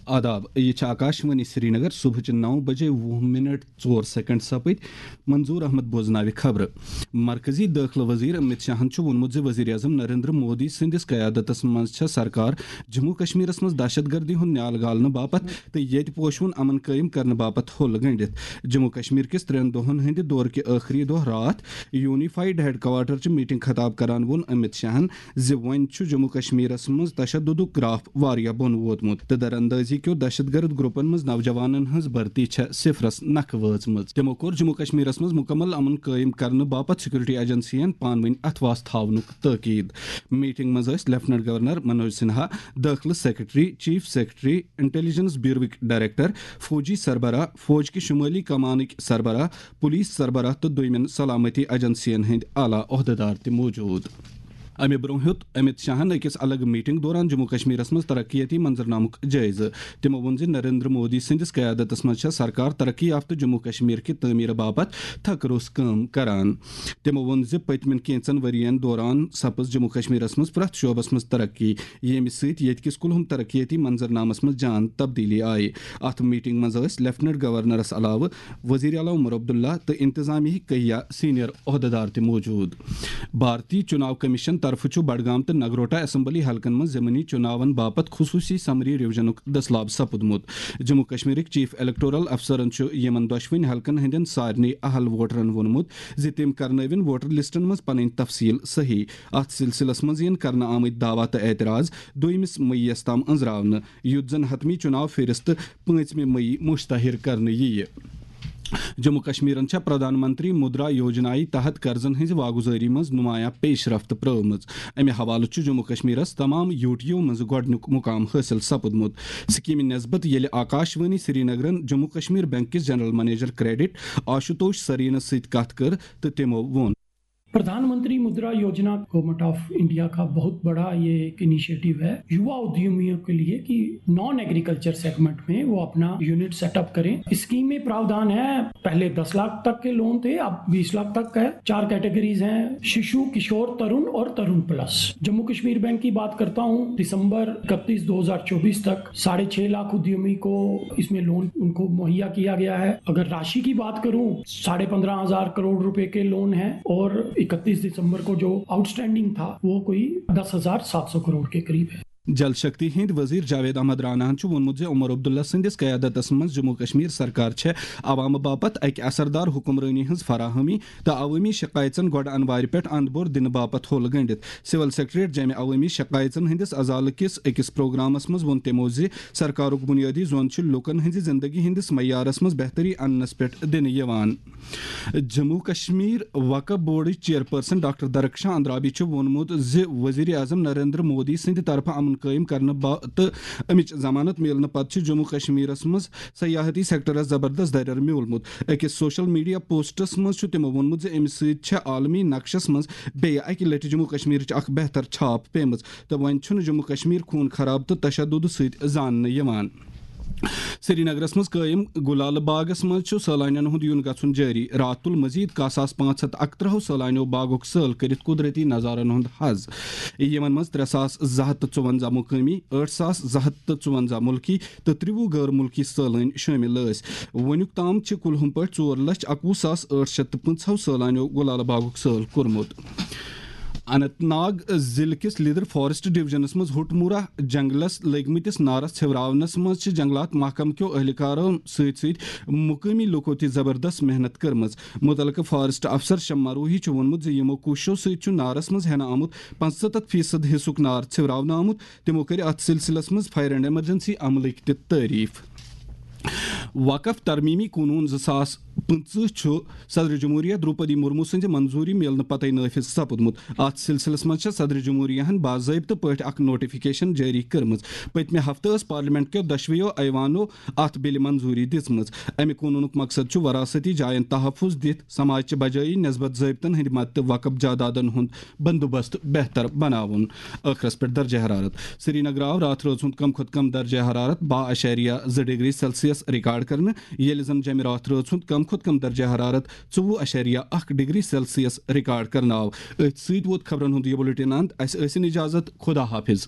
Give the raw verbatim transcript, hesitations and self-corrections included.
آداب، یہِ چھِ آکاشوانی سرینگر۔ صبحٕچہِ نَو بجے وُہ منٹ ژور سیکنڈ سپٕدۍ۔ منظور احمد بوزناوِ خبرٕ۔ مرکزی دٲخلہٕ وزیر امت شاہن چھُ ووٚنمُت زِ وزیر اعظم نریندر مودی سٕنٛدِس قیادتس منٛز چھےٚ سرکار جموں کشمیرس منٛز دہشت گردی ہُنٛد نیال گالنہٕ باپتھ تہٕ ییٚتہِ پوشوُن امن قٲیِم کرنہٕ باپتھ ہوٚل گٔنٛڈِتھ۔ جموں کشمیر کِس ترٛٮ۪ن دۄہن ہٕنٛدِ دورٕ کہِ ٲخری دۄہ راتھ یونیفائیڈ ہیڈ کوارٹر چہِ میٹنگ خطاب کران ووٚن امت شاہن زِ وۄنۍ چھُ جموں کشمیرس منٛز تشددُک گراف واریاہ بۄن ووتمُت تہٕ دراندازی کیو دہشت گرد گروپن منٛز نوجوانن ہٕنٛز بھرتی چھےٚ صفرس نکھٕ وٲژمٕژ۔ تِمو کوٚر جموں کشمیرس منٛز مکمل امن قٲیِم کرنہٕ باپتھ سیکورٹی ایجنسین پانہٕ ؤنۍ اتھواس تھاونُک تٲکید۔ میٹنگ منٛز ٲسۍ لیفٹیننٹ گورنر منوج سنہا، دٲخلہٕ سیکرٹری، چیف سیکرٹری، انٹیلیجنس بیوروٕکۍ ڈائریکٹر، فوجی سربراہ، فوج کہِ شمٲلی کمانٕکۍ سربراہ، پولیس سربراہ تہٕ دوٚیمٮ۪ن سلامتی ایجنسین ہٕنٛدۍ اعلیٰ عہدٕدار تہِ موجود۔ امہِ برونٛہہ ہیوٚت امت شاہن أکِس الگ میٹنگ دوران جموں کشمیرس منٛز ترقیتی منظرنامُک جٲیزٕ۔ تِمو ووٚن زِ نریندر مودی سٕنٛدِس قیادتس منٛز چھےٚ سرکار ترقی یافتہٕ جموں کشمیر کہِ تعمیرٕ باپتھ تھکہٕ روٚس کٲم کران۔ تِمو ووٚن زِ پٔتمٮ۪ن کینٛژن ؤرین دوران سپٕز جموں کشمیرس منٛز پرٛٮ۪تھ شعبس منٛز ترقی، ییٚمہِ سۭتۍ ییٚتہِ کِس کُلہُم ترقیتی منظرنامس منٛز جان تبدیلی آیہِ۔ اتھ میٹنگ منٛز ٲسۍ لیفٹیننٹ گورنرس علاوٕ وزیر اعلیٰ عمر عبداللہ تہٕ انتظامیہٕکۍ کیٚنٛہہ سینئر عہدٕدار تہِ موجود۔ بھارتی چناو کمیشن طرفہٕ چھُ بڈگام تہٕ نگروٹا اسمبلی حلقن منٛز ضمنی چناون باپتھ خصوصی سمری ریویژنُک دٔسلاب سپُدمُت۔ جموں کشمیرٕکۍ چیف الیکٹورل افسرن چھُ یِمن دۄشوٕنی حلقن ہٕنٛدٮ۪ن سارنٕے اہل ووٹرن ووٚنمُت زِ تِم کرنٲوِن ووٹر لسٹن منٛز پنٕنۍ تفصیل صحیح۔ اتھ سلسلس منٛز یِن کرنہٕ آمٕتۍ دعویٰ تہٕ اعتراض دوٚیمِس مئی یَس تام أنٛزراونہٕ، یُتھ زن حتمی چناو فہرست پانٛژمہِ مئی مشتہر کرنہٕ یِیہِ۔ جموں کشمیرن چھےٚ پردھان منتری مدرا یوجنایہِ تحت قرضن ہٕنٛزِ واگُزٲری منٛز نمایاں پیش رفت پرٲومٕژ۔ امہِ حوالہٕ چھُ جموں کشمیرس تمام یوٗٹیو منٛز گۄڈٕنیُک مقام حٲصِل سپُدمُت۔ سکیمہِ نسبت ییٚلہِ آکاشوانی سرینگرن جموں کشمیر بینک کِس جنرل منیجر کریڈٹ آشوتوش سرینس سۭتۍ کتھ کٔر تہٕ تِمو ووٚن۔ प्रधानमंत्री मुद्रा योजना गवर्नमेंट ऑफ इंडिया का बहुत बड़ा ये एक इनिशिएटिव है युवा उद्यमियों के लिए कि नॉन एग्रीकल्चर सेगमेंट में वो अपना यूनिट सेटअप करें। स्कीम में प्रावधान है, पहले दस लाख तक के लोन थे, अब बीस लाख तक का है। चार कैटेगरीज हैं, शिशु, किशोर, तरुण और तरुण प्लस। जम्मू कश्मीर बैंक की बात करता हूँ, दिसंबर इकतीस दो हज़ार चौबीस तक साढ़े छह लाख उद्यमी को इसमें लोन उनको मुहैया किया गया है। अगर राशि की बात करूं, साढ़े पन्द्रह हजार करोड़ रुपए के लोन हैं और इकतीस दिसंबर को जो आउटस्टैंडिंग था, वो कोई दस हजार सात सौ करोड़ के करीब है। جل شکتی ہٕنٛدۍ وزیر جاوید احمد راناہن چھُ ووٚنمُت زِ عمر عبداللہ سٕنٛدِس قیادتس منٛز جموں کشمیر سرکار چھےٚ عوامہٕ باپتھ اکہِ اثردار حکمرٲنی ہٕنٛز فراہمی تہٕ عوٲمی شکایژن گۄڈٕ انوارِ پٮ۪ٹھ اند بور دِنہٕ باپتھ ہوٚل گٔنٛڈِتھ۔ سول سیکرٹریٹ جامع عوٲمی شکایژن ہٕنٛدِس ازالہٕ کِس أکِس پروگرامس منٛز ووٚن تِمو زِ سرکارُک بنیٲدی زون چھُ لوٗکن ہٕنٛزِ زندگی ہٕنٛدِس معیارس منٛز بہتری اننس پٮ۪ٹھ دِنہٕ یِوان۔ جموں کشمیر وقف بورڈٕچ چیئرپرسن ڈاکٹر درخشاں اندرابی چھُ ووٚنمُت زِ وزیر اعظم نریندر مودی سٕنٛدِ طرفہٕ امن قٲیِم کرنہٕ با-، تہٕ امِچ ضمانت میلنہٕ پتہٕ چھُ جموں کشمیرس منٛز سیاحتی سیکٹرس زبردست دریر میوٗلمُت۔ أکِس سوشل میڈیا پوسٹس منٛز چھُ تِمو ووٚنمُت زِ امہِ سۭتۍ چھےٚ عالمی نقشس منٛز بیٚیہِ اکہِ لٹہِ جموں کشمیرٕچ اکھ بہتر چھاپ پیمٕژ تہٕ وۄنۍ چھُنہٕ جموں کشمیر خوٗن خراب تہٕ تشدد سۭتۍ زاننہٕ یِوان۔ سرینگرس منٛز قٲیِم گُلالہٕ باغس منٛز چھُ سٲلانٮ۪ن ہُنٛد یُن گژھُن جٲری۔ راتھ تُل مزید کاہ ساس پانٛژھ ہتھ اکترٛہو سٲلانیو باغُک سٲل کٔرِتھ قدرتی نظارن ہُنٛد حظ۔ یِمن منٛز ترٛےٚ ساس زٕ ہتھ تہٕ ژُونزہ مقٲمی، ٲٹھ ساس زٕ ہتھ تہٕ ژُونزہ مُلکی تہٕ ترٛوُہ غٲر مُلکی سٲلٲنۍ شٲمِل ٲسۍ۔ وُنیُک تام چھِ کُلہُم پٲٹھۍ ژور لچھ اکوُہ ساس ٲٹھ شتھ تہٕ پٕنٛژٕہو سٲلانیو گُلالہٕ باغُک سٲل کوٚرمُت۔ اننت ناگ ضلعہٕ کِس لیدر فارسٹ ڈویژنس منٛز ہوٹمورہ جنگلس لٔگۍ مٕتِس نارس ژھیوراونس منٛز چھِ جنگلات محکمہٕ کیو اہلکارو سۭتۍ سۭتۍ مقٲمی لوٗکو تہِ زبردست محنت کٔرمٕژ۔ مُتعلقہٕ فارسٹ افسر شمع روہی چھُ ووٚنمُت زِ یِمو کوٗششو سۭتۍ چھُ نارس منٛز ہٮ۪نہٕ آمُت پانٛژھ ستتھ فیصد حصُک نار ژھیوراونہٕ آمُت۔ تِمو کٔرۍ اتھ سلسلس منٛز فائر اینڈ ایمرجنسی عملٕکۍ تہِ تعریف۔ وقف ترمیمی قونوٗن زٕ ساس پٕنٛژٕہ چھُ صدر جمہوریہ دروپدی مرمو سٕنٛزِ منظوٗری میلنہٕ پتے نافذ سپُدمُت۔ اتھ سلسلس منٛز چھےٚ صدر جمہوریہ ہن باضٲبطہٕ پٲٹھۍ اکھ نوٹیفکیشن جٲری کٔرمٕژ۔ پٔتمہِ ہفتہٕ ٲس پارلیمنٹ کیو دۄشویو ایوانو اتھ بلہِ منظوٗری دِژمٕژ۔ امہِ قونوٗنُک مقصد چھُ وراثتی جاین تحفظ دِتھ سماج چہِ بجٲیی نسبت ضٲبطن ہٕنٛدِ مدتہٕ وقف جادادن ہُنٛد بندوبست بہتر بناوُن۔ ٲخرس پٮ۪ٹھ درجہ حرارت۔ سرینگر آو راتھ رٲژ ہُنٛد کم کھۄتہٕ کم درجہ حرارت باہ اعشاریہ زٕ ڈگری سیلسیس ریکارڈ کرنہٕ، ییٚلہِ زن جمہِ راتھ رٲژ ہُنٛد کم کھۄتہٕ کم درجہ حرارت ژوٚوُہ اعشاریہ اکھ ڈگری سیلسیس ریکارڈ کرنہٕ آو۔ أتھۍ سۭتۍ ووت خبرن ہُنٛد یہِ بُلٹن اند۔ اسہِ ٲسِن اجازت۔ خدا حافظ۔